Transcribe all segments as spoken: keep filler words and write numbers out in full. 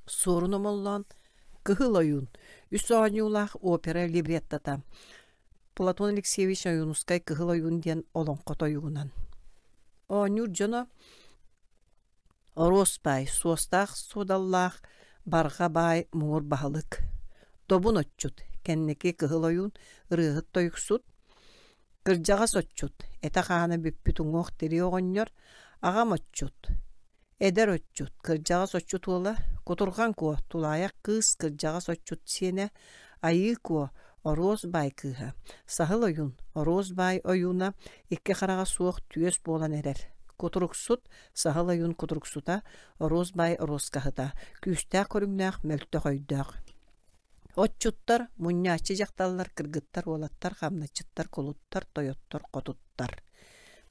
Суорун Омоллоон «Кыһыл ойуун» үс оонньуулаах опера либреттота Платон Алексеевич Ойуунускай «Кыһыл ойуун» диэн олоҥхо тойугунан. Оонньуур дьоно Оруос баай, суостаах суодаллаах, барҕа баай муҥур баһылык, Добун отчут, кэнники Кыһыл ойуун, ырыаһыт тойуксут, кырдьаҕас отчут, этэ-хаана бүппүт уҥуох-тирии оҕонньор, аҕам отчут, эдэр отчут, кырдьаҕас отчут уола, Кутурҕан Куо, тулаайах кыыс, кырдьаҕас отчут сиэнэ, Айыы Куо, Оруос баай кыыһа, Саһыл ойуун, Оруос баай ойууна, икки хараҕа суох түөс буолан эрэр. Кутуруксут, Саһыл ойуун кутуруксута, Оруос баай оруоскаһыта, күүстээх көрүҥнээх, мөлтөх өйдөөх. Отчуттар, мунньааччы дьахталлар, кыргыттар, уолаттар, хамначчыттар, кулуттар, тойоттор, хотуттар.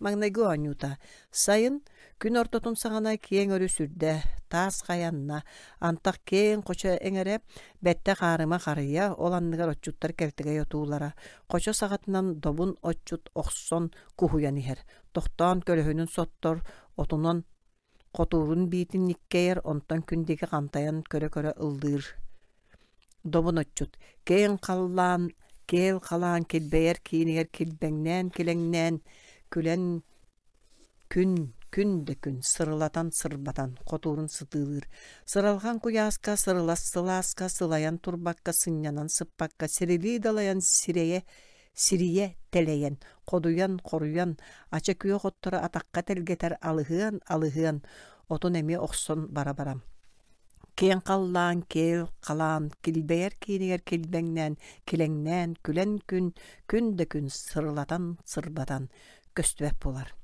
Маҥнайгы оонньуута. Сайын, күн ортотун саҕана киэҥ өрүс үрдэ, таас хайанна, антах киэҥ хочо эҥэрэ, бэттэх аарыма харыйа, ол анныгар отчуттар кэлтэгэй отуулара, хочо саҕатынан добун отчут охсон куһуйан иһэр, тохтоон көлөһүнүн соттор, отунан хотуурун биитин ньиккэйэр, онтон күн диэки хантайан көрө-көрө ыллыыр. Добун отчут, киэҥ халлаан, киэл халаан килбэйэр киинигэр килбэҥнээн-килэҥнээн, күлэн күн, күн да күн сырылатан-сырбатан хотуурун сытыылыыр. Сыралҕан куйааска, сырылас сылааска, сылайан турбакка, сынньанан сыппакка, сирилии далайан сирэйэ сирийэ тэлэйэн, ходуйан, хоруйан, ача күөх оттору атахха тэлгэтэр алыһыан, алыһыан, отун эмиэ охсон бара-барам. Киэҥ халлаан, киэл халаан, килбэйэр киинигэр килбэҥнээн, килэҥнээн, күлэн күн, күн да күн сырылатан, сырбатан көстүбэт буолар.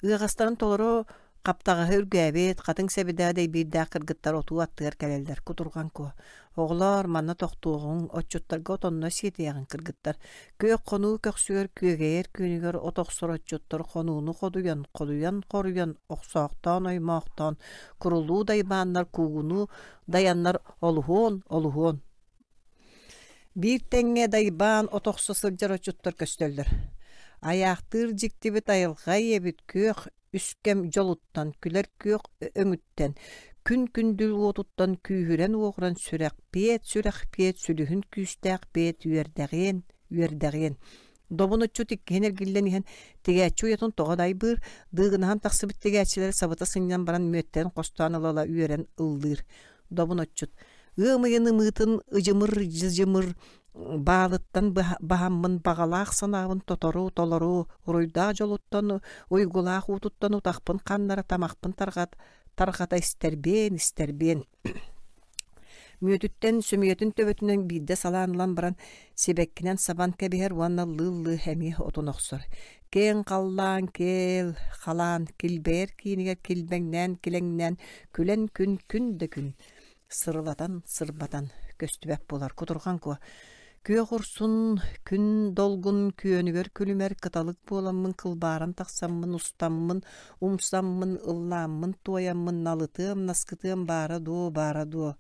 Ыаҕастарын толору хаптаҕаһы үргээбит, хатыҥ сэбидээ дэйбиирдээх кыргыттар отуу аттыгар кэлэллэр, кутурҕан куо. Оҕолоор, манна тохтуоҕуҥ, отчуттарга отонно сиэтиэҕиҥ кыргыттар. Күөх хонуу көхсүгэр күөгэйэр күөнүгэр от охсор отчуттар хонууну ходуйан, ходуйан хоруйан, охсоохтоон оймоохтоон, курулуу дайбааннар куугунуу дайаннар олуһуон, олуһуон. Биир тэҥҥэ дайбаан от охсо сылдьар отчуттар көстөллөр. Айаахтыыр дьиктибит айылҕа ийэбит күөх үскэм дьолуттан, күлэр күөх өҥүттэн, күн күндүл уотуттан күүһүрэн-уоҕуран сүрэхпиэт, сүрэхпиэт, сүлүһүн күүстээх бэйэт үөрдэҕиэн, үөрдэҕиэн. Добун отчут иккиһин эргиллэн иһэн тигээччи уйатын тоҕо дайбыыр, дыыгынаһан тахсыбыт тигээччилэри сабыта сынньан баран мүөттэрин хостоон ыла-ыла үөрэн ыллыыр. Добун отчут ыам ыйын ымыытын ыдьымыр-дьыдьымыр баалыттан баһаммын баҕалаах санаабын тотору толору уруйдаах дьолуттан уйгулаах уутуттан утахпын ханнара тамахпын тарҕат тарҕата истэрбиэн истэрбиэн мүөтүттэн сөмүйэтин төбөтүнэн биирдэ салаан ылан баран сибэккинэн сабан кэбиһэр уонна лыы-лыы эмиэ отун охсор киэҥ халлаан киэл халаан килбэйэр киинигэр килбэҥнээн килэҥнээн күлэн күн күн да күн сырылатан сырбатан көстүбэт буолар кутурҕан куо күөх урсун күн долгун күөнүгэр күлүмэр кыталык буоламмын кылбааран тахсаммын устаммын умсаммын ыллааммын туойаммын налытыам наскытыам баара дуо баара дуо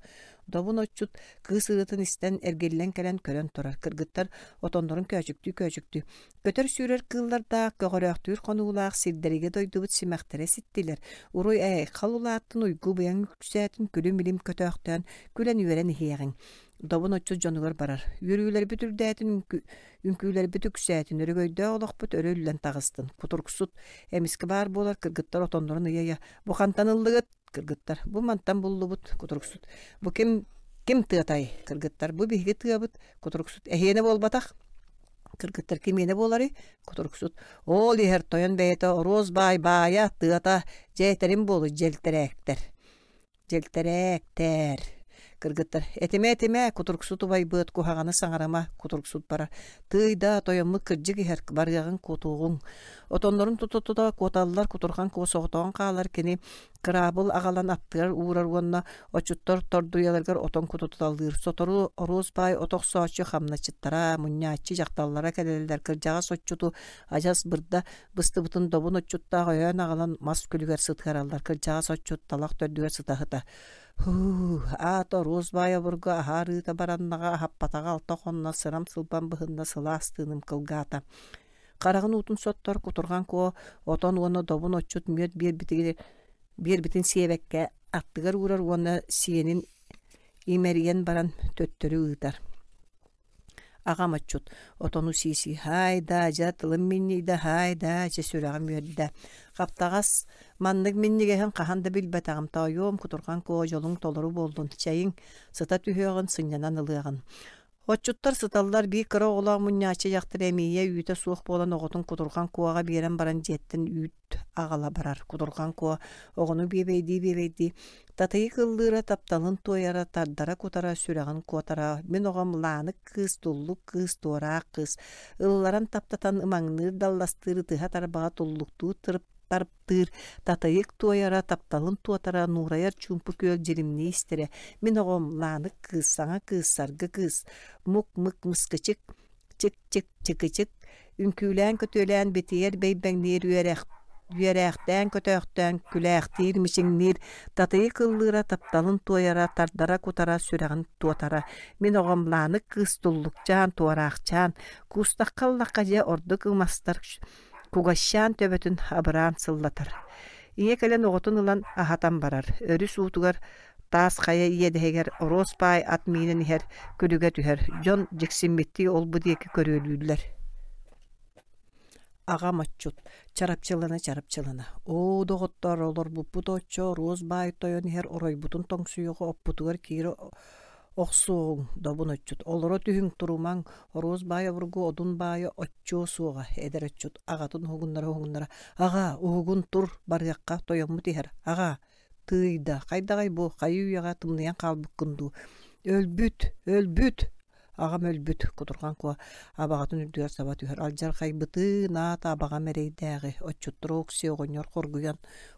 добун отчут кыыс ырыатын истэн эргиллэн кэлэн көрөн турар кыргыттар отоннорун көөчүктүү көөчүктүү көтөр-сүүрэр кыыллардаах көҕөрөөхтүүр хонуулаах сирдэригэ дойдубут симэхтэрэ ситтилэр уруй айхал улааттын уйгу-быйаҥ үксээтин күлүм-илим көтөөхтөөн күлэн-үөрэн иһиэҕиҥ добун отчут дьонугар барар үөрүүлэрбит үрдээтин үҥкүүлэрбит үксээтин өрөгөйдөөх олохпут өрө үллэн таҕыстын кутуруксут эмискэ баар буолар кыргыттар отоннорун ыйа-ыйа бу хантан ыллыгыт кыргыттар бу мантан буллубут кутуруксут бу ким ким тыатай кыргыттар бу биһиги тыабыт кутуруксут эһиэнэ буолбатах кыргыттар кимиэнэ буоларый кутуруксут ол иһэр тойон бэйэтэ оруос баай баайа тыата дьээтэрин буолу дьэлтэрээктэр дьэлтэрээктэр кыргыттар этимэ этимэ кутуруксут убайбыт куһаҕаны саҥарыма кутуруксут барар тыый да тойоммут кырдьык иһэр барыаҕыҥ куотуоҕуҥ отоннорун тута-тута куоталлар кутурҕан куо соҕотоҕун хаалар кини кыраабыл аҕалан аттыгар уурар уонна отчуттар тордуйаларыгар отон кутуталыыр сотору оруос баай от охсооччу хамначчыттара мунньааччы дьахталлара кэлэллэр кырдьаҕас отчуту адьас бырда быстыбытын добун отчуттаах өйөөн аҕалан мас күлүгэр сытыараллар кырдьаҕас отчут талах төрдүгэр сыта-сыта һуу аата оруос баай обургу аһаарыыта бараннаҕа аһаппатаҕа алта хонно сырам сылбам быһынна сылаас тыыным кылгаата хараҕын уутун соттор кутурҕан куо отон уонна добун отчут мүөт биэрбитигэр биэрбитин сиэбэккэ аттыгар уурар уонна сиэнин Имэрийэн баран төттөрү ыытар. Аҕам отчут отону сии-сии «Һаай даа, дьэ тылым минньийдэ, һаай даа, дьэ сүрэҕим үөрдэ. Хаптаҕас маннык минньигэһин хаһан да билбэтэҕим, тоойуом, кутурҕан куо дьолуҥ толору буоллун, чэйиҥ, сыта түһүөҕүн, сынньанан ылыаҕын». Отчуттар сыталлар, биир кыра оҕолоох мунньааччы дьахтар эмиийэ үүтэ суох буолан оҕотун кутурҕан куоҕа биэрэн баран дьиэттэн үүт аҕала барар. Кутурҕан куо оҕону биэбэйдии-биэбэйдии татыйык ыллыыра, тапталын туойара, тардара кутара, сүрэҕин куотара. Мин оҕом Лаанык кыыс, туллук кыыс, туораах кыыс. Ылларан таптатан ымаҥныыр далластыыр, ытыһа тарбаҕа туллуктуу тарптыыр, татыйык туойара, тапталын туотара, нуурайар чуумпу күөл дьиримнии истэрэ. Мин оҕом Лаанык кыыс, саҥа кыыс, саргы кыыс, мук-мык мыскычык, чик-чик чыкычык, үҥкүүлээн көтүөлээн битийэр бэйбэҥниир үөрэх үөрээхтээн көтөөхтөөн күлээхтиир мичиҥниир, татыйык ыллыыра, тапталын туойара, тардара кутара, сүрэҕин туотара. Мин оҕом Лаанык кыыс туллукчаан, туораахчаан, куустахха ыллахха дьэ ордук ымастар кугасчаан төбөтүн абыраан сыллатар. Ийэ кэлэн оҕотун ылан аһатан барар. Өрүс уутугар таас хайа иэдэһигэр оруос баай ат миинэн иһэр күлүгэ түһэр. Дьон дьиксиммиттии ол-бу диэки көрүөлүүллэр. Аҕам отчут, чарапчылана-чарапчылана: «Оо, доҕоттоор, олорбуппут оччо оруос баай тойон иһэр оройбутун тоҥсуйуоҕу оппутугар киирэ охсуоҕуҥ, добун отчут, олоро түһүҥ, турумаҥ, оруос баай обургу одун баайа оччуо суоҕа». Эдэр отчут аҕатын уһугуннара-уһугуннара: «Аҕаа, уһугун тур, барыахха, тойоммут иһэр, аҕаа, тыый да, хайдаҕай бу, хайыы-үйэҕэ тымныйан хаалбыккын дуу, өлбүт, өлбүт!» Аҕам өлбүт, кутурҕан куо абаҕатын үрдүгэр саба түһэр. Алдьархайбытын аата абаҕам эрэйдээҕи, отчуттар Окси оҕонньор хоргуйан,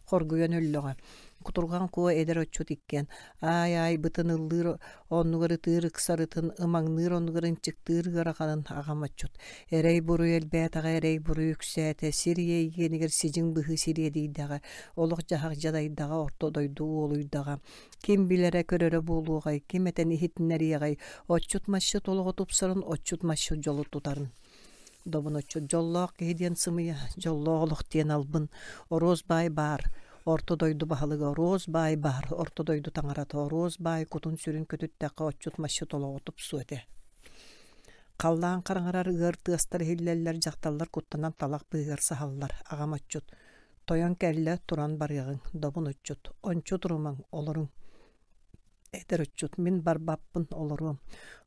хоргуйан өллөҕө. Кутурҕан куо эдэр отчут иккиэн аай-аай бытын ыллыыр оннугар ытыыр ыксарытын, ымаҥныыр оннугар ынчыктыыр ыараханын аҕам отчут. Эрэй-буруй элбээтэҕэ, эрэй-буруй үксээтэ, сир ийэ иэнигэр сидьиҥ быһыы сириэдийдэҕэ, олох-дьаһах дьадайдаҕа, орто дойду уолуйдаҕа. Ким билэрэ көрөрө буолуоҕай, ким этэн иһитиннэриэҕэй, отчут-масчыт олоҕо тупсарын, отчут-масчыт дьолу тутарын. Добун отчут дьоллоох киһи диэн сымыйа, дьоллоох олох диэн албын, оруос баай баар, орто дойду баһылыга оруос баай баар, орто дойду таҥарата оруос баай кутун-сүрүн көтүттэххэ отчут-масчыт олоҕо тупсуо этэ. Халлаан хараҥарар ыар тыастар иһиллэллэр, дьахталлар куттанан талах быыһыгар саһаллар. Аҕам отчут тойон кэллэ, туран барыаҕыҥ, добун отчут, ончу турумаҥ, олоруҥ. Эдэр отчут, мин барбаппын, олоруом.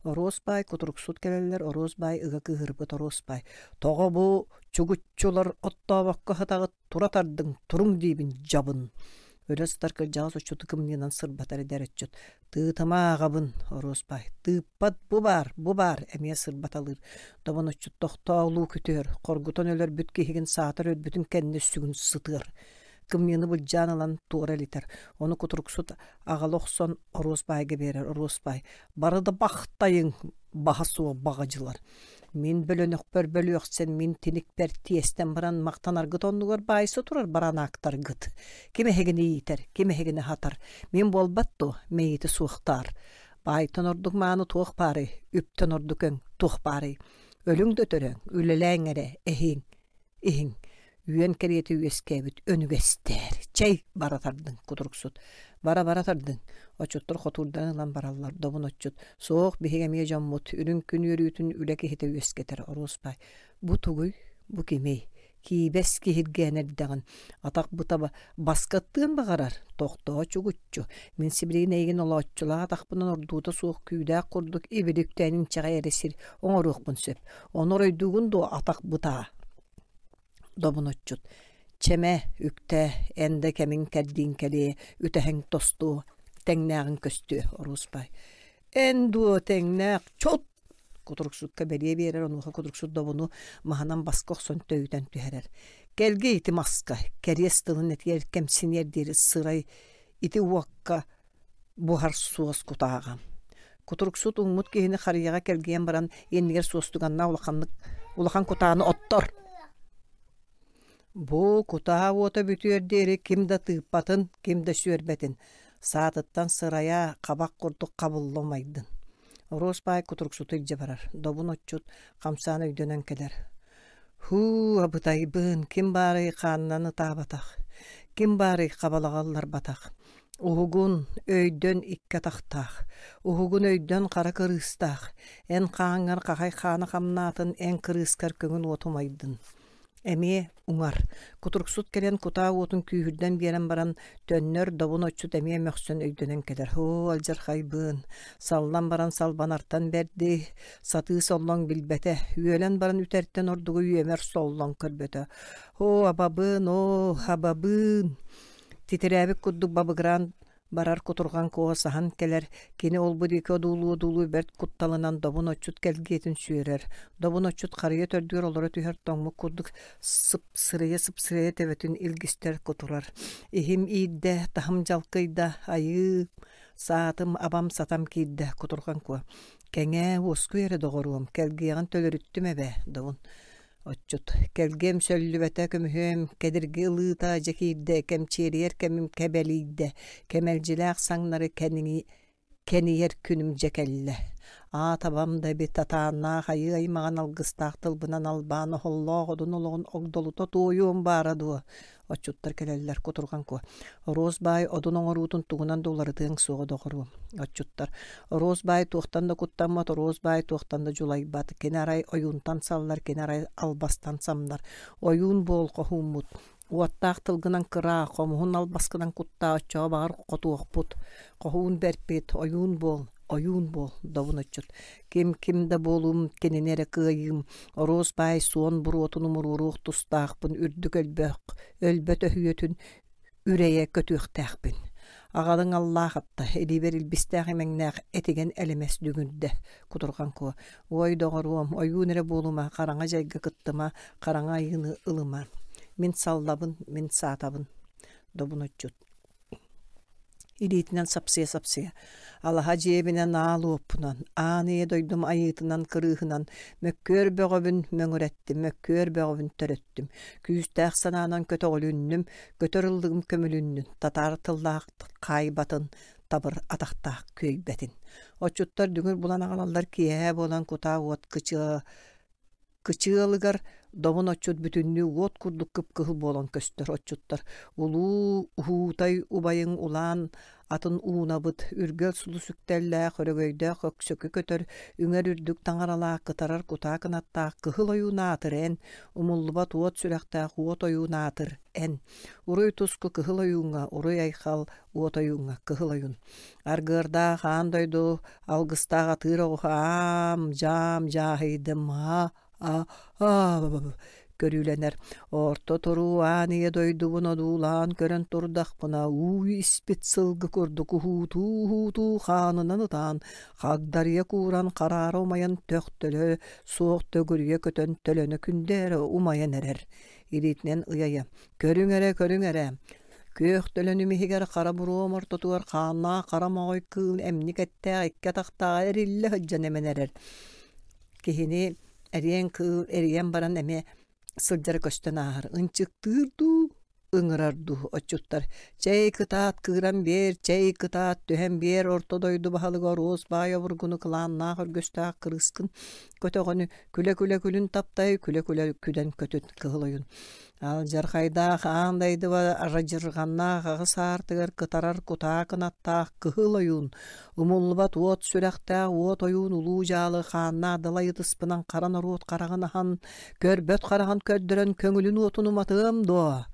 Оруос баай кутуруксут кэлэллэр, оруос баай ыга кыыһырбыт оруос баай. Тоҕо бу чугуччулар оттообокко сытаҕыт, тура тардыҥ, туруҥ диибин дьабын. Өлө сытар кырдьаҕас отчуту кымньыынан сырбатар эдэр отчут. Тыытыма ааҕабын, оруос баай. Тыыппат бу баар, бу баар, эмиэ сырбаталыыр. Добун отчут тохтоолуу күтүөр, хоргутан өлөрбүт киһигин саатар өлбүтүн кэннэ сүгүн сытыар. Кымньыыны былдьаан ылан туора илитэр. Ону кутуруксут аҕала охсон оруос баайга биэрэр. Оруос баай «Бары да бахтайыҥ, баһа суох баҕадьылар. Мин бөлөнөхпөр бөлүөхсэн, мин тиникпэр тиэстэн баран махтанаргыт оннугар баайса турар баранаактаргыт. Ким эһигини иитэр, ким эһигини аһатар? Мин буолбат дуо, мэйиити суохтаар. Баайтан ордук мааны туох баарый, үптэн ордук өҥ туох баарый? Өлүҥ да өтөрөҥ, үлэлээҥ эрэ, эһиҥ, иһиҥ. Үөн кэриэтэ үөскээбит өнүгэстээр. Чэй, бара тардыҥ, кутуруксут. Бара-бара тардыҥ. Отчуттар хотуурдан ылан бараллар, добун отчут. Суох, биһиги эмиэ дьоммут. Үрүҥ күн үөрүүтүн үлэ киһитэ үөскэтэр. Оруос баай. Бу тугуй? Бу кимий? Киибэс киһиргээн эрдэҕин. Атах быта баскаттыан баҕарар. Тохтоо чугуччу. Мин сибилигин эйигин олооччулаах атахпынан ордуута суох күүдээх курдук ибили үктээн инчэҕэй эрэ сир оҥоруохпун сөп. Ону оройдуугун дуо атах бытаа? Добун отчут. Чэмэ, үктээ, эн да кэмиҥ кэрдииҥ кэлиэ, үтэһэҥ тостуо, тэҥнээҕиҥ көстүө, оруос баай. Эн дуо тэҥнээх, чот! Кутуруксукка бэлиэ биэрэр, онуоха кутуруксут добуну маһынан баска охсон төйүтэн түһэрэр. Кэлгий ити маска, кэриэс тылын этиэр кэмсиниэр диэри сырай ити уокка буһар суос кутааҕа. Кутуруксут уҥмут киһини харыйаҕа кэлгийэн баран иннигэр суостуганнаах улаханнык улахан кутааны оттор. Бу кутаа уота бүтүөр диэри ким да тыыппатын, ким да сүөрбэтин, саатыттан сырайа хабах курдук хабылла умайдын. Оруос баай кутуруксуту илдьэ барар, добун отчут хамсаан өйдөнөн кэлэр. Һуу, абытайбын, ким баарый хаанынан ытаабатах, ким баарый хабалаҕа ылларбатах. Уһугун өйдөн икки атахтаах, уһугун өйдөн хара кырыыстаах, эн хааҥҥар хахай хаана хамнаатын, эн кырыыскар көҥүл уоту умайдын. Эмиэ уҥар. Кутуруксут кэлэн кутаа уотун күүһүрдэн биэрэн баран, төннөр добун отчут эмиэ мөхсөн өйдөнөн кэлэр. Һоо, алдьархайбын. Саллан баран салбанартан бэрди, сатыы соллоҥ билбэтэ, үөлэн баран үтэртэн ордугу үөмэр соллоҥ көрбөтө. Һоо, абабын, оо, абабын. Титирээбит курдук бабыгыраан барар кутурҕан куо саһан кэлэр, кини ол-бу диэки одуулуу-одуулуу бэрт кутталынан добун отчут кэлгиэтин сүөрэр. Добун отчут харыйа төрдүгэр олоро түһэр тоҥмут курдук сыпсырыйа-сыпсырыйа төбөтүн илгистэр кутурар. Иһим иирдэ, таһым дьалкыйда, айыы, саатым, абам сатам киирдэ, кутурҕан куо. Кэҥээ, уоскуй эрэ доҕоруом, кэлгиэҕин төлөрүттүм эбээ, добун. Отчут кэлгиэм сөллүбэтэ көмүһүөм, кэдирги ылыыта дьэ киирдэ, кэмчиэрийэр кэмим кэбэлийдэ, кэмэлдьилээх саҥнары кэниҥи кэнийэр күнүм дьэ кэллэ. Аат абам да эбит атааннаах айыы аймаҕын алгыстаах тылбынан албаан оһоллоох одун олоҕун огдолута туойуом баара дуо? Отчуттар кэлэллэр кутурҕан куо. Оруос баай одун оҥоруутун тугунан да уларытыаҥ суоҕа доҕоруом. Отчуттар. Оруос баай туохтан да куттаммат, оруос баай туохтан да дьулайбат. Кини арай ойуунтан саллар, кини арай албастан самнар. Ойуун буол хоһууммут. Уоттаах тылгынан кыраа, хомуһун албаскынан куттаа, оччоҕо баҕар хотуохпут. Хоһуун бэрпит, ойуун буол, ойуун буол, добун отчут. Ким ким да буолуум, кинини эрэ кыайыым. Оруос баай суон буруотун умуруоруох тустаахпын, үрдүк өлбөх, өлбөт өһүөтүн үрэйэ көтүөхтээхпин. Аҕалыҥ аллаах атта, илиибэр илбистээх имэҥнээх этигэн элэмэс дүҥүрдэ, кутурҕан куо. Уой доҕоруом, ойуун эрэ буолума, хараҥа дьайга кыттыма, хараҥа айыыны ылыма. Мин саллабын, мин саатабын. Добун отчут. Илиитинэн сапсыйа-сапсыйа, алаһа дьиэбинэн аал уоппунан, аан ийэ дойдум айыытынан кырыыһынан мөккүөр бөҕөбүн мөҥүрэттим, мөккүөр бөҕөбүн төрөттүм, күүстээх санаанан көтөҕүлүннүм, көтөр ыллыгым көмүлүннүн, татаар тыллаах хаайбатын, табыр атахтаах күөйбэтин. Отчуттар дүҥүр булан аҕалаллар киэһэ буолан кутаа уот кычыа Кычыалыгар добун отчут бүтүннүү уот курдук кып-кыһыл буолан көстөр отчуттар улуу уһуутай убайыҥ улаан атын уунабыт, үргэл сулус үктэллээх, өрөгөйдөөх өксөкү көтөр, үҥэр үрдүк таҥаралаах, кытарар кутаа кынаттаах кыһыл ойуун аатыр эн, умуллубат уот сүрэхтээх уот ойуун аатыр эн. Уруй туску кыһыл ойууҥҥа, уруй айхал уот ойууҥҥа, кыһыл ойуун. Аргыардаах аан дойду алгыстаах атыыр оҕуһа аам, дьаам, дьааһыйдым, а а көрүүлэнэр. Орто туруу аан ийэ дойдубун одуулаан көрөн турдахпына, уу испит сылгы курдук уһуутуу-уһуутуу хаанынан ытаан, хагдарыйа кууран хараара умайан төхтөлө суох төгүрүйэ көтөн төлөнө күндэ эрэ умайан эрэр. Илиитинэн ыйайа: «Көрүҥ эрэ, көрүҥ эрэ, күөх төлөнүм иһигэр хара буруом ортотугар хааннаах хара моҕой кыыл эмник эттээх икки атахтааҕа эриллэ сылдьан эмэн эрэр. Киһини эриэн кыыл эрийэн баран эмиэ сылдьара көстөн ааһар. Ынчыктыыр дуу, ыҥырар дуу отчуттар чэй кытаат кыыран биэр, чэй кытаат түһэн биэр орто дойду баһылыга Оруос баай обургуну кылааннаах өргөстөөх кырыскын көтөҕөнү күлэ-күлэ күлүн таптай, күлэ-күлэ күдэн көтүт кыһыл ойун. Алдьархайдаах аан дайдыба арадьырҕаннаах аҕыс аартыгар кытарар кутаа кынаттаах кыһыл ойуун, умуллубат уот сүрэхтээх уот ойуун улуу дьаалы хааннаах далай ытыспынан хара норуот хараҕын аһан, көрбөт хараҕын көрдөрөн көҥүлүн уотун уматыам дуо?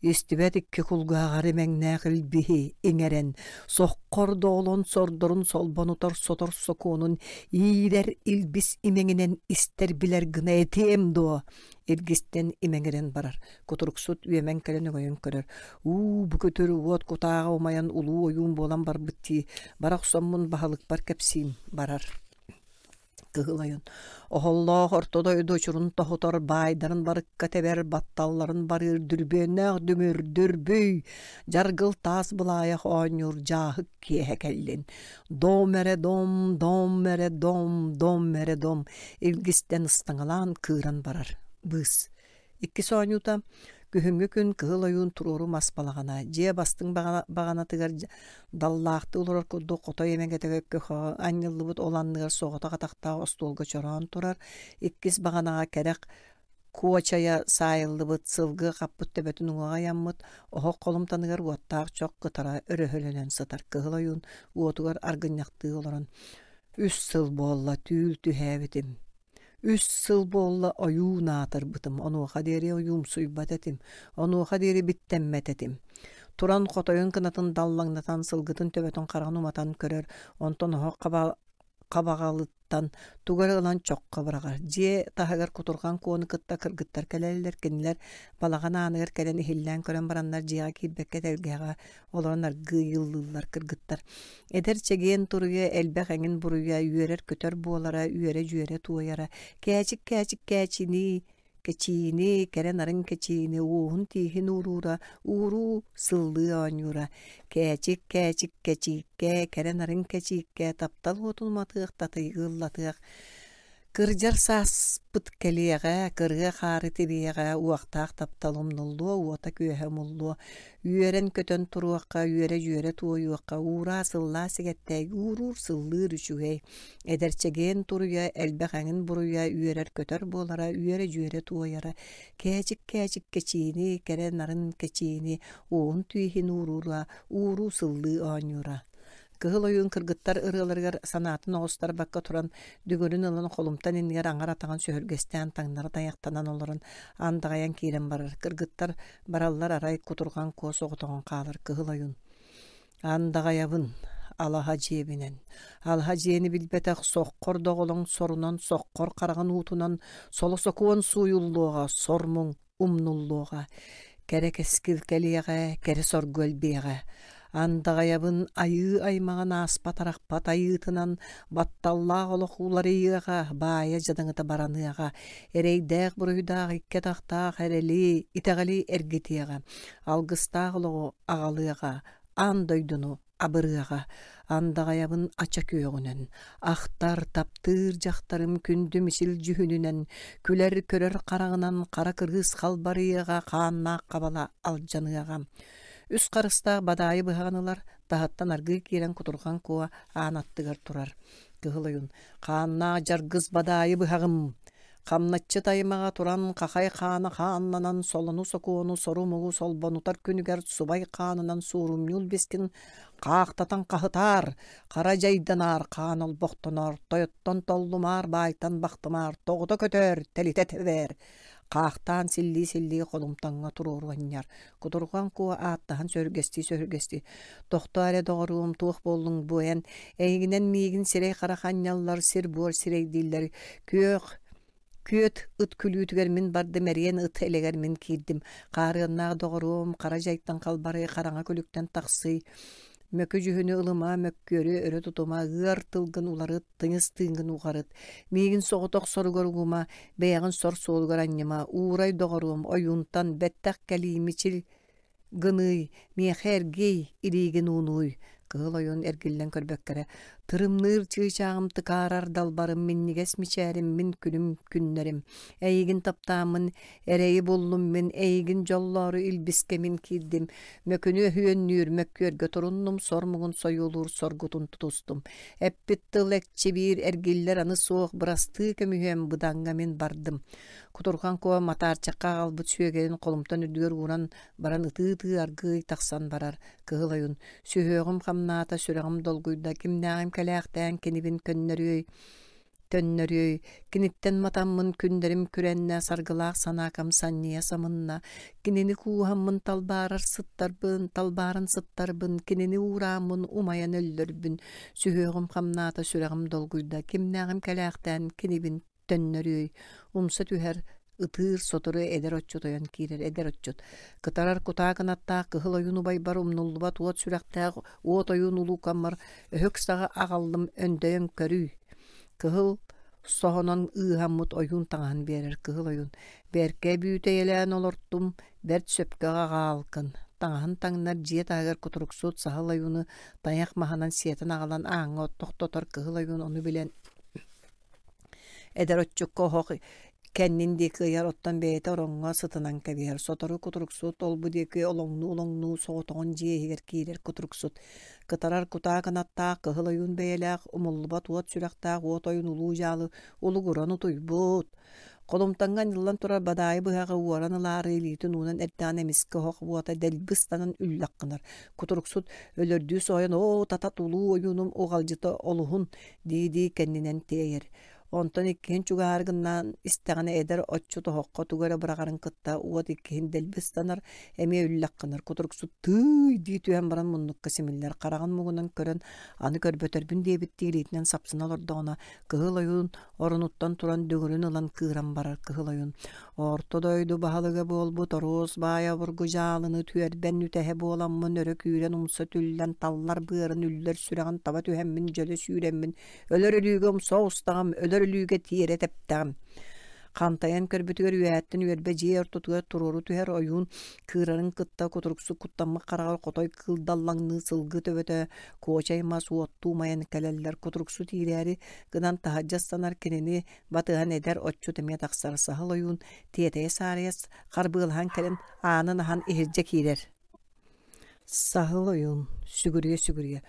Истибэт икки кулгааҕар имэҥнээх илбиһи иҥэрэн, соххор доолон сордорун солбонутар сотор сокуонун иирэр илбис имэҥинэн истэр билэр гына этиэм дуо? Илгистэн имэҥирэн барар. Кутуруксут үөмэн кэлэн өҥөйөн көрөр. Уу, бу көтөр уот кутааҕа умайан улуу ойуун буолан барбыт дии. Бара охсоммун баһылыкпар кэпсиим барар. Кыһыл ойун. Оһоллоох орто дойду очурун тоһутар, баайдарын барыкка тэбэр, батталларын барыыр дүрбүөннээх дүҥүр, дүрбүй, дьаргыл таас былаайах оонньуур дьааһык киэһэ кэллин. Дом эрэ дом, дом эрэ дом, дом эрэ дом, илгистэн ыстаҥалаан кыыран барар. Быыс. Иккис оонньуута күһүҥҥү күн кыһыл ойуун туруору мас балаҕана, дьиэ бастыҥ баҕанатыгар даллаахтыы олорор курдук хотой эмэгэтэ көхөҕө анньыллыбыт ол анныгар соҕотох атахтаах остуолга чороон турар. Иккис баҕанаҕа кэрэх Куочайа саайыллыбыт сылгы хаппыт төбөтүн уҥуоҕа ыйаммыт, оһох холумтаныгар уоттаах чох кытара өрөһөлөнөн сытар Кыһыл Ойуун уотугар аргынньахтыы олорон «Үс сыл буолла түүл түһээбитим, үс сыл буолла ойуун аатырбытым, онуоха диэри ойуумсуйбат этим, онуоха диэри биттэммэт этим». Туран хотойун кынатын даллаҥнатан, сылгытын төбөтүн хараҕын уматан көрөр, онтон оһох хабаҕалыттан тугу эрэ ылан чоххо быраҕар. Дьиэ таһыгар кутурҕан куону кытта кыргыттар кэлэллэр, кинилэр балаҕан ааныгар кэлэн иһиллээн көрөн бараннар дьиэҕэ киирбэккэ тэлгэһэҕэ олорон аргыый ыллыыллар кыргыттар. Эдэр чэгиэн туруйа элбэх эҥин буруйа, үөрэр-көтөр буолара, үөрэ-дьүөрэ туойара, кээчик-кээчик кээчинии кэчиини, кэрэ нарын кэчиини, уоһун-тииһин ууруура, ууруу сыллыы оонньуура, кээчик-кээчик кэчииккэ, кэрэ нарын кэчииккэ, таптал уотун уматыах, татыйыы ыллатыах, кырдьар сааспыт кэлиэҕэ, кырыа хаары тибиэҕэ, уохтаах таптал умнуллуо, уота-күөһэ умуллуо, үөрэн-көтөн туруохха, үөрэ-дьүөрэ туойуохха, уураа сыллаа сигэттээй, ууруур сыллыыр үчүгэй, эдэр чэгиэн туруйа, элбэх эҥин буруйа, үөрэр-көтөр буолара, үөрэ-дьүөрэ туойара, кээчик-кээчик кэчиини, кэрэ нарын кэчиини, уоһун тииһин ууруура, ууруу сыллыы оонньуура. Кыһыл Ойуун кыргыттар ырыаларыгар санаатын оҕустарбакка туран, дүҥүрүн ылан холумтан иннигэр аҥар атаҕын сөһүргэстээн таҥнары тайахтанан олорон андаҕайан киирэн барар. Кыргыттар бараллар арай кутурҕан куо соҕотоҕун хаалар Кыһыл Ойуун. Андаҕайабын алаһа дьиэбинэн, алаһа дьиэни билбэтэх соххор доҕолоҥ сорунан соххор хараҕын уутунан соло сокуон сууйуллуоҕа, сор муҥ умнуллуоҕа, кэрэ кэскил кэлиэҕэ, кэрэ соргу элбиэҕэ. Андаҕайабын айыы аймаҕын ааспат-арахпат айыытынан батталлаах олох уларыйыаҕа, баайа дьадаҥыта бараныаҕа, эрэйдээх-буруйдаах икки атахтаах эрэли, итэҕэли эргитиэҕэ, алгыстаах олоҕу аҕалыаҕа, аан дойдуну абырыаҕа. Андаҕайабын ача күөҕүнэн, ахтар, таптыыр дьахтарым күндү мичил дьүһүнүнэн, күлэр-көрөр хараҕынан хара кырыыс халбарыйыаҕа, хааннаах хабала алдьаныаҕа. Үс харыстаах бадаайы быһаҕын ылар, таһыттан аргыый киирэн кутурҕан куо аан аттыгар турар. Кыһыл Ойуун «Хааннаах дьаргыс бадаайы быһаҕым, хамначчыт аймаҕа туран хахай хаана хааннанан солону-сокуону сору-муҥу солбонутар күнүгэр субай хаанынан суорумньул бискин хаахтатан хаһытаар, хара дьайданаар хаан олбохтоноор, тойоттон толлумаар, баайтан бахтымаар, тоҕута көтөөр, тэлитэ тэбээр, хаахтаан силлии-силлии холумтаҥҥа туруору анньар. Кутурҕан куо ааттаһан сөһүргэстии-сөһүргэстии «Тохтоо эрэ доҕоруом, туох буоллуҥ бу эн? Эйигинэн миигин сирэй-харах анньаллар, сир-буор сирэйдииллэр, күөх күөт ыт күлүүтүгэр мин бардым, эриэн ыт элэгэр мин киирдим. Хаарыаннаах доҕоруом, хара дьайтан халбарый, хараҥа күлүктэн тахсый. Мөкү дьүһүнү ылыма, мөккүөрү өрө тутума, ыар тылгын уларыт, тыйыс тыыҥҥын уҕарыт. Миигин соҕотох соругар угума, бэйэҕин сор суолугар анньыма, уурай доҕоруом, ойуунтан, бэттэх кэлии, мичил гыныый, миэхэ эргий, илиигин уунууй. Кыһыл Ойуун эргиллэн көрбөккө эрэ тырымныыр чыычааҕым тыкаарар далбарым, минньигэс мичээрим, мин күнүм күннэрим. Эйигин таптааммын, эрэйи буллум мин, эйигин дьоллоору илбискэ мин киирдим. Мөкүнү өһүөннүүр, мөккүөргэ туруннум, сор муҥун сойуолуур соргутун тутустум. Эппит тыл экчи биир эргиллэр аны суох, бырастыы көмүһүөм быдаҥҥа мин бардым. Кутурҕан куо матаарчахха аҕалбыт сүөгэйин холумтан үрдүгэр ууран баран ытыы-ытыы аргыый тахсан барар. Кыһыл Ойуун сүһүөҕүм хамнаата, сүрэҕим долгуйда, кимнээҕим кэлээхтээн кинибин көннөрүөй, төннөрүөй, киниттэн матаммын күннэрим күрэннэ, саргылаах санаакам санньыйа самынна, кинини кууһаммын талбаарар сыттарбын, талбааран сыттарбын, кинини уурааммын умайан өллөрбүн, сүһүөҕүм хамнаата, сүрэҕим долгуйда, кимнээҕим кэлээхтээн кинибин төннөрүөй, умса түһэр, ытыыр сотору эдэр отчут ойон киирэр эдэр отчут кытарар кутаа кынаттаах кыһыл ойуун убайбар умнуллубат уот сүрэхтээх уот ойуун улуукаммар өһүк саҕа аҕаллым өндөйөн көрүй кыһыл соһонон ыыһаммыт ойуун таҥаһын биэрэр кыһыл ойуун бэркэ бүүтэйэлээн олортум бэрт сөпкө аҕаалкын таҥаһын таҥнар дьиэ таһыгар кутуруксут саһыл ойууну тайах маһынан сиэтэн аҕалан ааҥҥа тохтотор кыһыл ойуун ону билэн эдэр отчукка оһох кэннин диэки ыйар, оттон бэйэтэ ороҥҥо сытынан кэбиһэр. Сотору кутуруксут ол-бу диэки олоҥнуу-олоҥнуу соҕотоҕун дьиэ иһигэр киирэр кутуруксут. Кытарар кутаа кынаттаах, кыһыл ойуун бэйэлээх, умуллубат уот сүрэхтээх уот ойуун улуу дьаалы улугуран утуйбут. Холумтаҥҥа анньыллан турар бадаайы быһаҕы уоран ылаары илиитин уунан эрдэҕинэ эмискэ оһох уота дэлби ыстанан үллэх гынар. Кутуруксут өлөрдүү соһуйан «Оо, татат улуу ойуунум уҕалдьыта олуһун» дии-дии кэннинэн тиэйэр. Онтон иккиһин чугаһаары гыннаан истэҕинэ эдэр отчут оһоххо тугу эрэ быраҕарын кытта уот иккиһин дэлби ыстанар, эмиэ үллэх гынар. Кутуруксут «Тыый!» дии түһэн баран муннукка симиллэр, хараҕын муҥунан көрөн аны көрбөтөрбүн диэбиттии илиитинэн сапсына олордоҕуна Кыһыл Ойуун оронуттан туран дүҥүрүн ылан кыыран барар. Кыһыл Ойуун «Орто дойду баһылыга буолбут Оруос баай обургу дьаалыны түөрбэн үтэһэ буоламмын өрө күүрэн умса түллэн таллар быарын үллэр сүрэҕин таба түһэммин дьөлө сүүрэммин өлөр өлүүгэ умса оҕустаҕым, өлөр өлүүгэ тиэрэ тэптэҕим». Хантайан көрбүтүгэр үөһэттэн үөрбэ дьиэ ортотугар туруору түһэр ойуун кыырарын кытта кутуруксук куттаммыт хараҕар хотой кыыл даллаҥныы сылгы төбөтө куочай мас уоттуу умайан кэлэллэр. Кутуруксу тиирээри гынан таһырдьа ыстанар кинини батыһан эдэр отчут эмиэ тахсар. Саһыл ойуун тиэтэйэ-саарыйа харбыалаһан кэлэн аанын аһан иһирдьэ киирэр. Саһыл ойуун сүгүрүйэ-сүгүрүйэ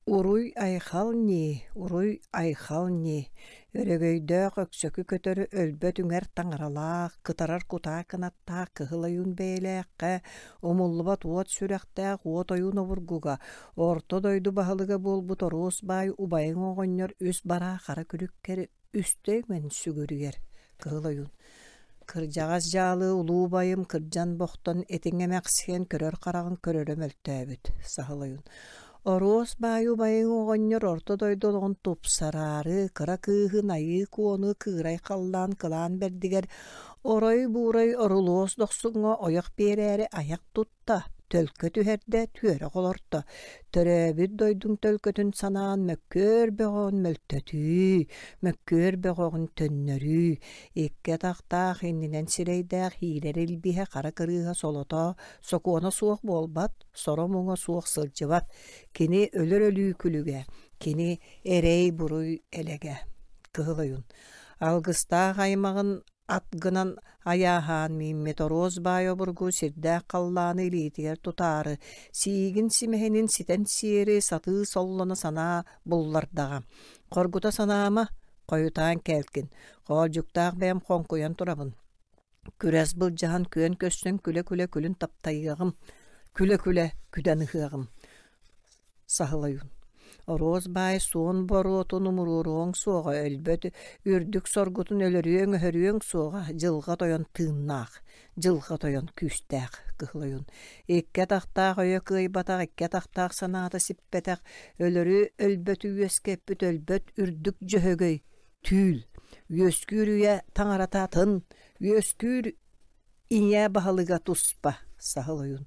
«Уруй-айхал ньии, уруй-айхал ньии, өрөгөйдөөх өксөкү көтөрү өлбөт үҥэр таҥаралаах, кытарар кутаа кынаттаах кыһыл ойуун бэйэлээххэ, умуллубат уот сүрэхтээх уот ойуун обургуга, орто дойду баһылыга буолбут Оруос баай убайыҥ оҕонньор үс бараа хара күлүккэр үстэ үҥэн сүгүрүйэр». Кыһыл ойуун Кырдьаҕас дьаалы улуу убайым кырдьан-бохтон этиҥ эмэхсийэн көрөр хараҕын көрөрө мөлтөөбүт. Саһыл ойуун Оруос баай убайыҥ оҕонньор орто дойду олоҕун тупсараары, кыра кыыһын Айыы Куону кыырай халлаан кылаан бэрдигэр орой-буурай орулуос дохсуҥҥа ойох биэрээри айах тутта, төлкө түһэрдэ, түөрэх олорто. Төрөөбүт дойдуҥ төлкөтүн санаан мөккүөр бөҕөҕүн мөлтөтүү, мөккүөр бөҕөҕүн төннөрүү, икки атахтаах иннинэн сирэйдээх иирэр илбиһэ хара кырыыһа солото, сокуона суох буолбат, соро-муҥа суох сылдьыбат. Кини өлөр өлүү күлүгэ, кини эрэй-буруй элэгэ. Кыһыл ойуун Алгыстаах аймаҕын ат гынан айааһаан мииммит Оруос баай обургу сирдээх халлааны илиитигэр тутаары, сиигин симэһинин ситэн сиэри сатыы соллоно санаа буллардаҕа. Хоргута санаама, хойутаан кээлкин, хоолдьуктаах бэйэм хоҥкуйан турабын. Күрэс былдьаһан күөн көрсөн күлэ-күлэ күлүн таптайыаҕым, күлэ-күлэ күдэн ыһыаҕым. Саһыл ойуун Оруос баай суон боруотун умуруоруоҥ суоҕа, өлбөт үрдүк соргутун өлөрүөҥ-өһөрүөҥ суоҕа, дьылҕа тойон тыыннаах, дьылҕа тойон күүстээх. Кыһыл ойуун Икки атахтаах өйө кыайбатах, икки атахтаах санаата сиппэтэх, өлөрү өлбөтү үөскэппит өлбөт үрдүк дьөһөгөй түүл, үөскүүр үйэ таҥарата атын, үөскүүр ийэ баһылыга туспа. Саһыл ойуун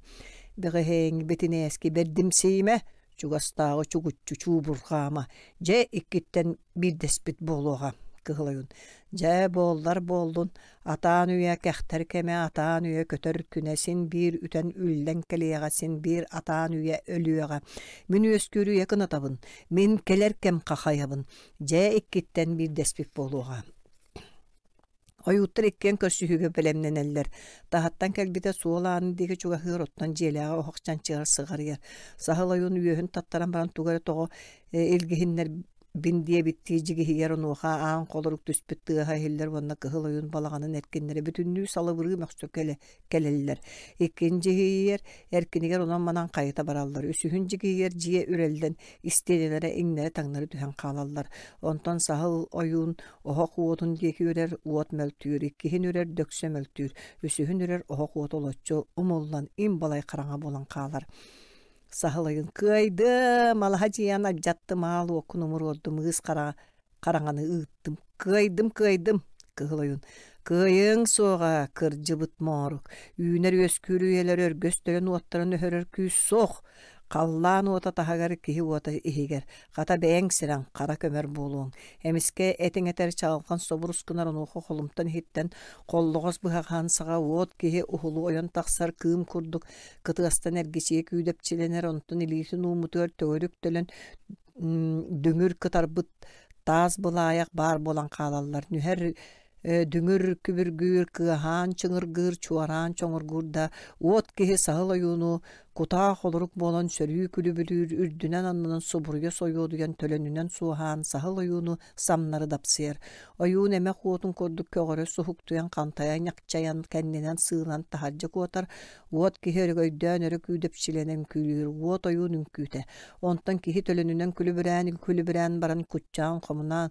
Бэҕэһээҥҥи бэтинээски бэрдимсийимэ, чугастааҕы чугуччу чуубурҕаама, дьэ иккиттэн биирдэспит буолуоҕа. Кыһыл ойуун Дьэ буоллар буоллун, атаан үйэ кэхтэр кэмэ, атаан үйэ көтөр күнэ син биир үтэн үллэн кэлиэҕэ, син биир атаан үйэ өлүөҕэ. Мин үөскүүр үйэ кынатабын, мин кэлэр кэм хахайабын, дьэ иккиттэн биирдэспит буолуоҕа. Ойууттар иккиэн көрсүһүүгэ бэлэмнэнэллэр. Таһыттан кэлбитэ суол аанын диэки чугаһыыр, оттон дьиэлээҕи оһох чанчыгар сыҕарыйар. Саһыл ойуун үөһүн таттаран баран тугу эрэ тоҕо илгиһиннэрбин диэбиттии дьигиһийэр, онуоха аан холорук түспүт тыаһа иһиллэр уонна кыһыл ойуун балаҕанын эркиннэрэ бүтүннүү салыбырыы мөхсө кэлэ кэлэллэр. Иккин дьиһийэр, эркинигэр онон-манан хайыта бараллар. Үсүһүн дьигиһийэр дьиэ үрэллэн, истиэнэлэрэ иҥнэри-таҥнары түһэн хаалаллар. Онтон саһыл ойуун оһох уотун диэки үрэр, уот мөлтүүр, иккиһин үрэр, дөксө мөлтүүр, үсүһүн үрэр, оһох уота олоччу умуллан, им балай хараҥа буолан хаалар. Саһыл ойуун «Кыайдым, алаһа дьиэни алдьаттым, аал уоккун умуруордум, ыыс хара хараҥаны ыыттым, кыайдым, кыайдым!» Кыһыл ойуун «Кыайыаҥ суоҕа, кырдьыбыт моорук, үүнэр-үөскүүр үйэлэр өргөстөрүн уоттарын өһөрөр күүс суох, халлаан уота таһыгар, киһи уота иһигэр, хата бэйэҥ сирэҥ хара көмөр буолуоҥ». Эмискэ этиҥ этэр чаҕылхан собурус гынар, онуоха холумтан иһиттэн холлоҕос быһаҕаһын саҕа уот киһи уһулу ойон тахсар кыым курдук кытыастан эргичийэ күүдэпчилэнэр, онтон илиитин ууммутугар төгүрүк төлөн дүҥүр кытарбыт таас былаайах баар буолан хаалаллар. Нүһэр Дүҥүр күбүргүүр, кыаһаан чыҥыргыыр, чуораан чоҥургуур да, уот киһи саһыл ойууну кутаа холорук буолан сөрүү күлүбүлүүр, үрдүнэн аннынан субуруйа сойуодуйан төлөнүнэн суоһаан саһыл ойууну самнары дапсыйар. Ойуун эмэх уотун курдук көҕөрө суһуктуйан хантайа ньахчайан кэннинэн сыылан таһырдьа куотар, уот киһи өрөгөйдөөн өрө күүдэпчилэнэн үҥкүүлүүр, уот ойуун үҥкүүтэ. Онтон киһи төлөнүнэн күлүбүрээн күлүбүрээн баран куччаан хомунаан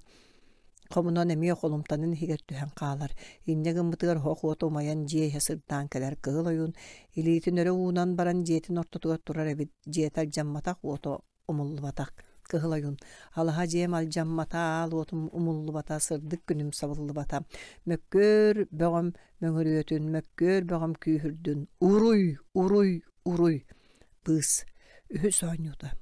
хомунан эмиэ холумтанын иһигэр түһэн хаалар. Инньэ гыммытыгар оһох уота умайан дьиэ иһэ сырдаан кэлэр. Кыһыл ойуун илиитин өрө уунан баран дьиэтин ортотугар турар эбит. Дьиэтэ алдьамматах, уота умуллубатах. Кыһыл ойуун алаһа дьиэм алдьаммата, аал уотум умуллубата, сырдык күнүм сабыллыбата. Мөккүөр бөҕөм мөҥүрүөтүн, мөккүөр бөҕөм күүһүрдүн. Уруй, уруй, уруй. Быыс. Үһүс оонньуута.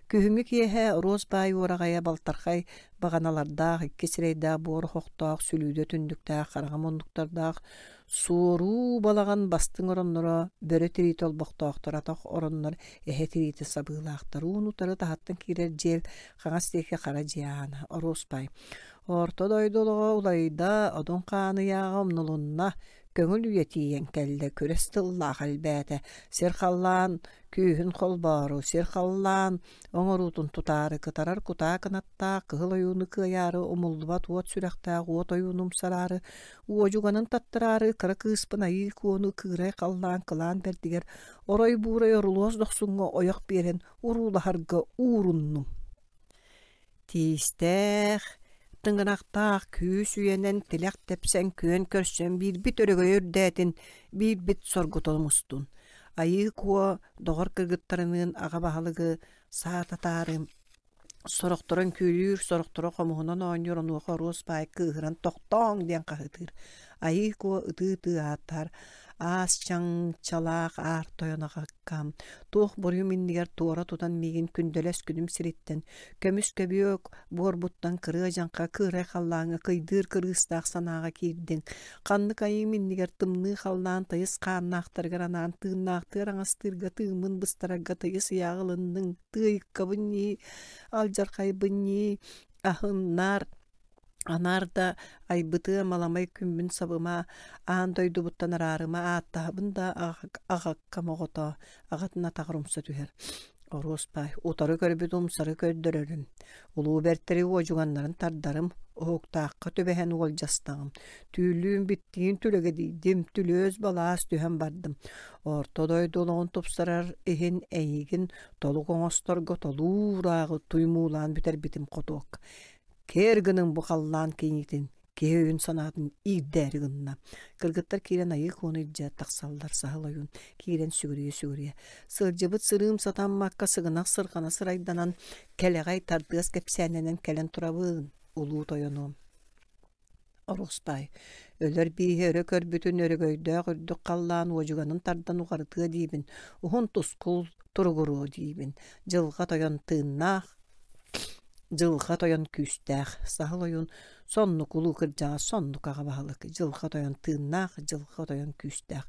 Күһүҥҥү киэһэ Оруос баай уораҕайа балтархай баҕаналардаах, икки сирэйдээх буор оһохтоох, сүлүүдэ түннүктээх, хараҥа муннуктардаах, суоруу балаҕан бастыҥ оронноро, бөрө тириитэ олбохтоохтор, атах ороннор эһэ тириитэ сабыылаахтар. Уун утары таһыттан киирэр дьиэл хаҥас диэки хара дьиэ аана. Оруос баай. Орто дойду олоҕо уларыйда, одун хаан ыйааҕа умнулунна, көҥүл үйэ тиийэн кэллэ, күрэс тыллаах элбээтэ, сир халлаан күүһүн холбоору, сир халлаан оҥоруутун тутаары, кытарар кутаа кынаттаах, кыһыл ойууну кыайаары, умуллубат уот сүрэхтээх уот ойууну умсараары, уодьуганын таттараары, кыра кыыспын айыы куону кыырай халлаан кылаан бэрдигэр, орой буурай орулуос дохсуҥҥа ойох биэрэн уруулаһарга ууруннум. Тиистээх, тыҥырахтаах күүс үйэнэн тилэх тэпсэн күөн көрсөн биирбит өрөгөйө үрдээтин, биирбит соргутун мустун. Айыы куо доҕор кыргыттарыныын аҕа баһылыгы саататаары сорохторо үҥкүүлүүр, сорохторо хомуһунан оонньуур, онуоха Оруос баай кыыһыран тохтооҥ диэн хаһыытыыр. Айыы куо ытыы-ытыы ааттаһар, аас чаҥчалаах аар тойон аҕаккам, туох буруйум иннигэр туора тутан миигин күндэлэс күнүм сириттэн, көмүс көбүө буорбуттан кырыа дьаҥха кыырай халлааҥҥа кыйдыыр кырыыстаах санааҕа киирдиҥ. Ханнык айыым иннигэр тымныы халлаан тыйыс хааннаахтарыгар анаан тыыннаахтыыр аҥастыырга тыыммын быстарарга тыйыс ыйааҕы ылынныҥ, тыайыккабын ньии, алдьархайбын ньии, аһыннаар анаар да айбытыа маламай күммүн сабыма, аан дойдубуттан араарыма, ааттаһабын да аҕаккам оҕото, аҕатын атаҕар умса түһэр. Оруос баай, утары көрбүт умсары көрдөрөрүм, улуу бэртэри уодьуганнарын тардарым, уһуктаахха түбэһэн уолдьастаҕым, түүлүүм биттиин түлэгэдийдим, түлүөс балаас түһэн бардым. Орто дойду олоҕун тупсарар иһин эйигин толук оҥосторго толуурааҕы туймуулаан бүтэрбитим хотуок. Кэр гының бу халлаан киҥитин, киһи өйүн санаатын иирдээри гынна. Кыргыттар киирэн айыы куону илдьэ тахсаллар, саһыл ойуун киирэн сүгүрүйэ-сүгүрүйэ. Сылдьыбыт сырыым сатаммакка сыгынах сырҕана сырайданан, кэлэҕэй тардыас кэпсээннэнэн кэлэн турабын, улуу тойонуом. Оруос баай, өлөр бииһи өрө көрбүтүн өрөгөйдөөх үрдүк халлаан уодьуганын тардан уҕарытыа диибин, уһун тускул туругуруо диибин, дьылҕа тойон тыыннаах, дьылҕа тойон күүстээх, саһыл ойуун соннук улуу кырдьаҕас соннук аҕа баһылык, дьылҕа тойон тыыннаах, дьылҕа тойон күүстээх.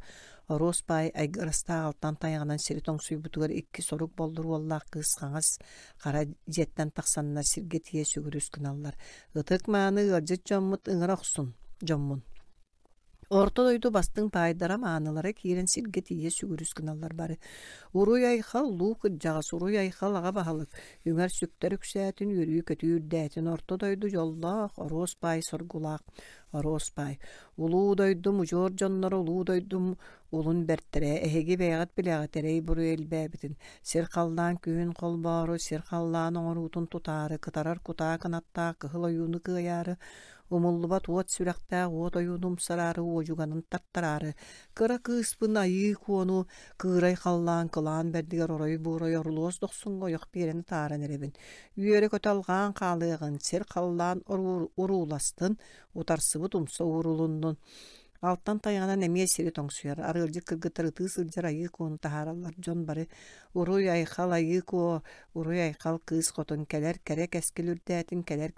Оруос баай айгырастаах алтан тайаҕынан сири тоҥсуйбутугар икки сорук боллур уоллаах кыыс хаҥас хара дьиэттэн тахсаннар сиргэ тиийэ сүгүрүс гыналлар. Ытык мааны ыалдьыт дьоммут ыҥыра охсун, дьоммун. Орто дойду бастыҥ паайдара маанылара киирэн сиргэ тиийэ сүгүрүс гыналлар бары. Уруй айхал улуу кырдьаҕас, уруй айхал аҕа баһылык, үҥэр сүктэр үксээтин, үөрүү көтүү үрдээтин, орто дойду дьоллоох, Оруос баай соргулаах, Оруос баай. Улуу дойдум удьуор дьонноро, улуу дойдум улун бэртэрэ, эһиги бэйэҕит билэҕит эрэй буруй элбээбитин, сир халлаан күүһүн холбоору, сир халлаан оҥоруутун тутаары, кытарар кутаа кынаттаах кыһыл ойууну кыайаары, умуллубат уот сүрэхтээх уот ойууну умсараары, уодьуганын тартараары, кыра кыыспын айыы куону кыырай халлаан кылаан бэрдигэр орой буурай орулуос дохсуҥҥа ойох биэрэн тааран эрэбин. Үөрэ-көтө алҕаан хаалыаҕын, сир халлаан урууластын, утарсыбыт умса уурулуннун. Алтан тайаҕынан эмиэ сири тоҥсуйар, арыалдьыт кыргыттар ытыы сылдьар айыы куону таһаараллар. Дьон бары уруй айхал айыы куо, уруй айхал кыыс хотун, кэлэр кэрэ кэскил үрдээтин, кэлэр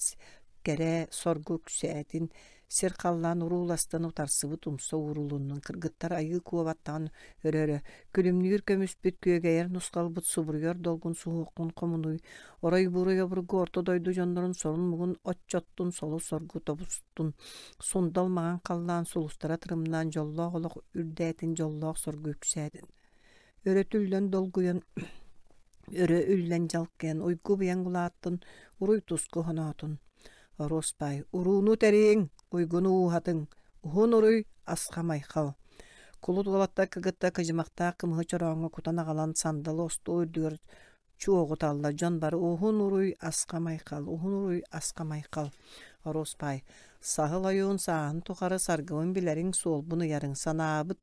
кэрэ соргу үксээтин, Сир-халлаан урууластан утарсыбыт умса уурулуннун, кыргыттар айыы куобаттаҕын өрө-өрө, күлүмнүүр көмүспүт, күөгэйэр нусхалбыт, субуруйар долгун суһуоххун хомунуй, орой-буруй обургу орто дойду дьоннорун сорун-муҥун оччоттун, солу-соргу тобустун, сундал маҥан халлаан сулустара тырымнаан дьоллоох олох үрдээтин, дьоллоох соргу үксээтин. Өрө түллэн долгуйан, өрө үллэн дьалкыйан, уйгу-быйаҥ улааттын, уруй-туску хоноотун. Оруоспай, урууну тэрийиҥ, уйгуну ууһатыҥ, уһун уруй, асхам айхал. Кулут уолаттар кыгытта кыдьымахтаах кымыһы чорооҥҥо кутан аҕалан сандалы остуол үрдүгэр чуоҕуталлар. Дьон бары уһун уруй, асхам айхал, уһун уруй, асхам айхал. Оруоспай, саһыл ойуун сааһын тухары саргыбын билэриҥ, суолбун ыйарыҥ, санаабыт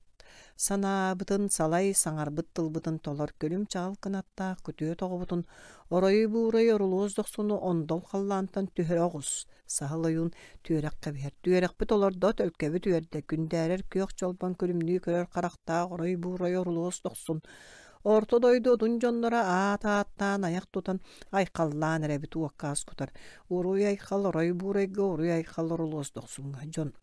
санаабытын салай, саҥарбыт тылбытын толор, күлүм-чаҕыл кынаттаах күтүө тоҕобутун, оройу-буурайы орулуос дохсуну ондол халлаантан түһэрэ оҕус. Саһыл ойуун түөрэх кэбиһэр. Түөрэхпит олордо, төлкөбүт үөрдэ, күндээрэр күөх чолбон күлүмнүү көрөр харахтаах орой-буурай орулуос дохсун. Орто дойду отун дьонноро аат ааттаан айах тутан айхаллаан эрэбит уоккаас кутар. Уруй айхал орой буурайга, уруй айхал орулуос дохсуҥҥа. Дьон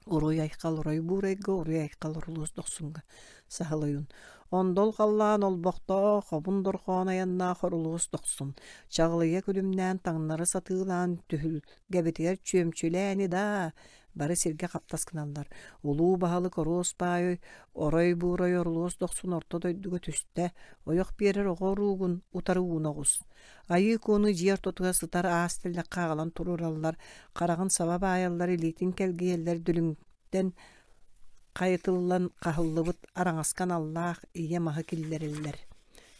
уруй айхал орой буурайга, уруй айхал орулуос дохсуҥҥа. Саһыл ойуун. Ондол халлаан олбохтоох, хобун дорхоон айаннаах орулуос дохсун. Чаҕылыйа күлүмнээн таҥнары сатыылаан түһүлгэбитигэр чүөмчүлээни даа бары сиргэ хаптас гыналлар. Улуу баһылык оруос баай орой буурай орулуос дохсун орто дойдуга түстэ, ойох биэрэр оҕо уруугун утары ууна оҕус. Айыы Куону дьиэ ортотугар сытар аас тэллэххэ аҕалан туруораллар, хараҕын саба баайаллар, илиитин кэлгийэллэр, дүлүҥтэн хайытыллан хаһыллыбыт араҥаска аналлаах ийэ маһы киллэрэллэр.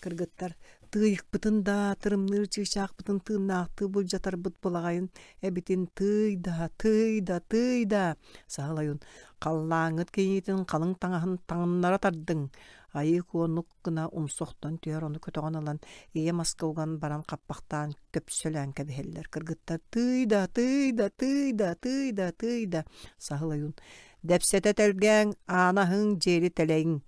Кыргыттар тыйыкпытын да, тырымныыр чыычаахпытын тыыннаахтыы былдьатарбыт былаҕайын эбитин тыый да, тыый да, тыый да. Саһыл ойуун халлааҥҥыт кийиитин халыҥ таҥаһын таҥыннара тардыҥ. Айыы Куонук гына умса охтон түһэр, ону көтөҕөн ылан ийэ маска уган баран хаппахтаан көпсөлөөн кэбиһэллэр. Кыргыттар тыый да, тыый да, тыый да, тыый да, тыый да. Саһыл ойуун дэпсэтэ тэлгээҥ, аана аһыҥ, дьиэри тэлэйиҥ.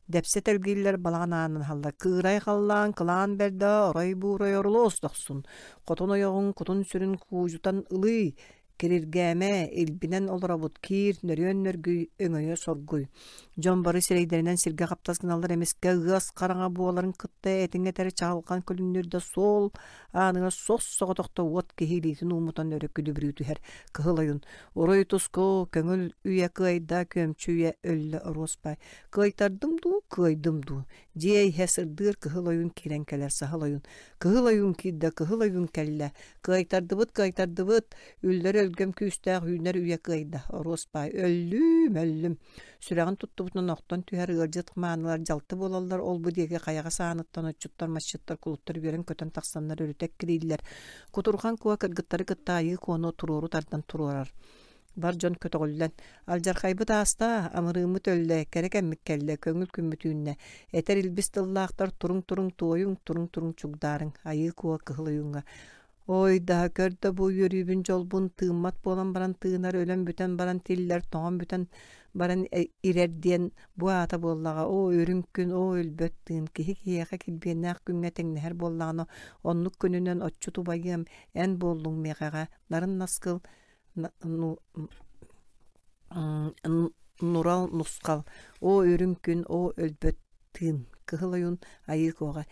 Дэпсэ тэлгииллэр балаҕан аанын аһаллар. Кыырай халлаан кылаан бэрдэ орой-буурай орулуос дохсун. Хотун ойоҕуҥ кутун-сүрүн куудьутан ылыы, кириргээмэ, илбинэн олоробут киир, нөрүөн нөргүй, өҥөйө соргуй. Дьон бары сирэйдэринэн сиргэ хаптас гыналлар эмискэ ыас хараҥа буоларын кытта этиҥ этэрэ чаҕылҕан күлүмнүүрдэ суол ааныгар сос соҕотохто уот киһи илиитин ууммутан өрө күлүбүрүү түһэр. Кыһыл ойун уруй туску көҥүл үйэ кыайда, күөмчү үйэ өллө оруоспай. Кыайтардым дуу, кыайдым дуу. Дьиэ иһэ сырдыыр кыһыл ойуун киирэн кэлэр саһыл ойуун. Кыһыл ойуун киирдэ, кыһыл ойуун кэллэ. Кыайтардыбыт, кыайтардыбыт. Үллэр өлгөм күүстээх үүнэр үйэ кыайда. Оруоспай өллүүм, өллүм. Сүрэҕин туттубутунан охтон түһэр ыалдьыт маанылар дьалты буолаллар. Ол-бу диэки хайаҕас ааныттан отчуттар, масчыттар, кулуттар үөрэн-көтөн тахсаннар өрүтэ эккирииллэр. Кутурҕан куо кыргыттары кытта айыы куону туруору тардан туруорар. Бар дьон көтөҕүллэн, алдьархайбыт ааста, амырыыммыт өллө, кэрэ кэммит кэллэ, көҥүл күммүт үүннэ. Этэр илбис тыллаахтар туруҥ-туруҥ туойуҥ, туруҥ-туруҥ чугдаарыҥ, айыы куо кыһыл ойууҥҥа. Ой да, көр да бу үөрүүбүн дьолбун тыыммат буолан баран тыынар, өлөн бүтэн баран тиллэр, тоҥон бүтэн баран ирэр диэн бу аата буоллаҕа. Оо, үрүҥ күн, оо, өлбөт тыын, киһи киһиэхэ килбиэннээх күҥҥэ тэҥнэһэр буоллаҕына, оннук күнүнэн отчут убайыам, эн буоллуҥ миэхэҕэ, нарын наскыл, нурал нусхал, оо, үрүҥ күн, оо, өлбөт тыын, кыһыл ойуун айыы куоҕа.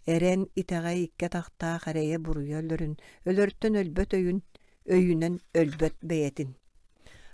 Эрэн итэҕэй икки атахтаах эрэйэ буруйа өлөрүн, өлөртөн өлбөт өйүн, өйүнэн өлбөт бэйэтин.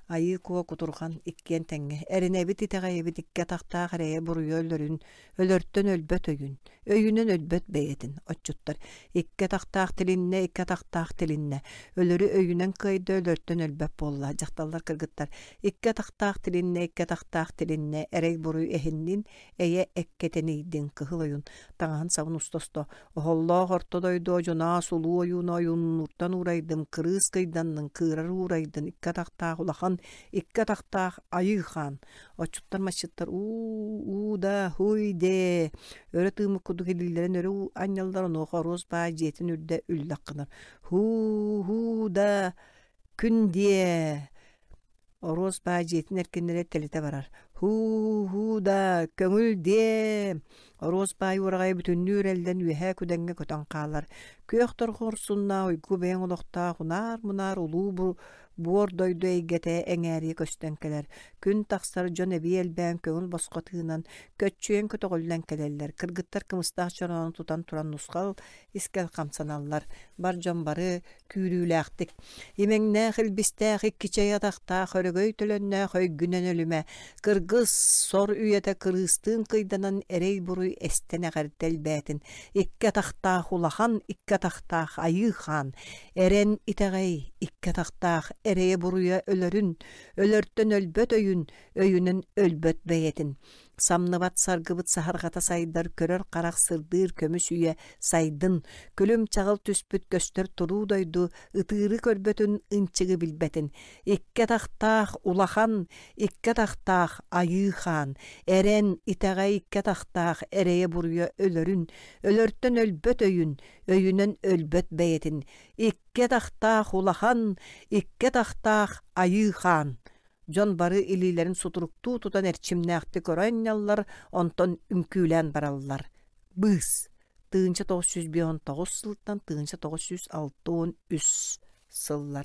Айыы Куо кутурҕан иккиэн тэҥҥэ эрэнэбит итэҕэйэбит икки атахтаах эрэйэ буруйа өлөрүн, өлөртөн өлбөт өйүн, өйүнэн өлбөт бэйэтин. Отчуттар икки атахтаах тилиннэ, икки атахтаах тилиннэ, өлөрү өйүнэн кыайда, өлөртөн өлбөт буолла. Дьахталлар кыргыттар икки атахтаах тилиннэ, икки атахтаах тилиннэ, эрэй буруй эһиннин, эйэ эккэтэнийдин. Кыһыл ойун таҥаһын сабын уста-уста оһоллоох орто дойду одьунаас улуу ойууну ойууннууртан уурайдым, кырыыс кыйданнын, кыырар уурайдын, икки атахтаах улахан икки атахтаах айыы хаан. Отчуттар масчыттар уу уу да хуй дээ өрө тыыммыт курдук илиилэрин өрө анньаллар, онуоха оруос баай дьиэтин үрдэ үллэх гынар. Хуу хуу да күн диэ оруос баай дьиэтин эркиннэрэ тэлитэ барар. Һуу-һуу да, көҥүл диэ! Оруос баай уораҕайа бүтүннүү үрэллэн үөһээ күдэҥҥэ көтөн хаалар. Күөх торҕо урсуннаах уйгу бэйэҥ олохтоох унаар-мунаар улуу буор дойду эйгэтэ эҥээрийэ көстөн кэлэр. Күн тахсар, дьон эбии элбээн көҥүл босхо тыынан, көччүйэн көтөҕүллэн кэлэллэр. Кыргыттар кымыстаах чороону тутан туран нусхал искэл хамсаналлар. Бар дьон бары күүрүүлээхтик. Имэҥнээх, илбистээх, икки чэй атахтаах, өрөгөй төлөннөөх өйгүнэн өлүмэ. Кыргыс сор үйэтэ кырыыстыын кыйданан эрэй-буруй эстэн эҕэрдэ элбээтин. Икки атахтаах улахан, икки атахтаах айыы хаан. Эрэн итэҕэй, икки атахтаах эрэйэ-буруйа өлөрүн, өлөртөн өлбөт өйүн, өйүнэн өлбөт бэйэтин. Самныбат саргыбыт саһарҕата сайдар, көрөр харах сырдыыр көмүс үйэ сайдын, күлүм чаҕыл түспүт көстөр туруу дойду ытыыры көрбөтүн, ынчыгы билбэтин. Икки атахтаах улахан, икки атахтаах айыы хаан, эрэн итэҕэй икки атахтаах эрэйэ-буруйа өлөрүн, өлөртөн өлбөт өйүн, өйүнэн өлбөт бэйэтин. Икки атахтаах улахан, икки атахтаах айыы хаан. Дьон бары илиилэрин сутуруктуу тутан эрчимнээхтик көрө анньаллар, онтон үҥкүүлээн бараллар. Быыс. Тыһыынча тоҕус сүүс биэс уон тоҕус сылтан тыһыынча тоҕус сүүс алта уон үс сыллар.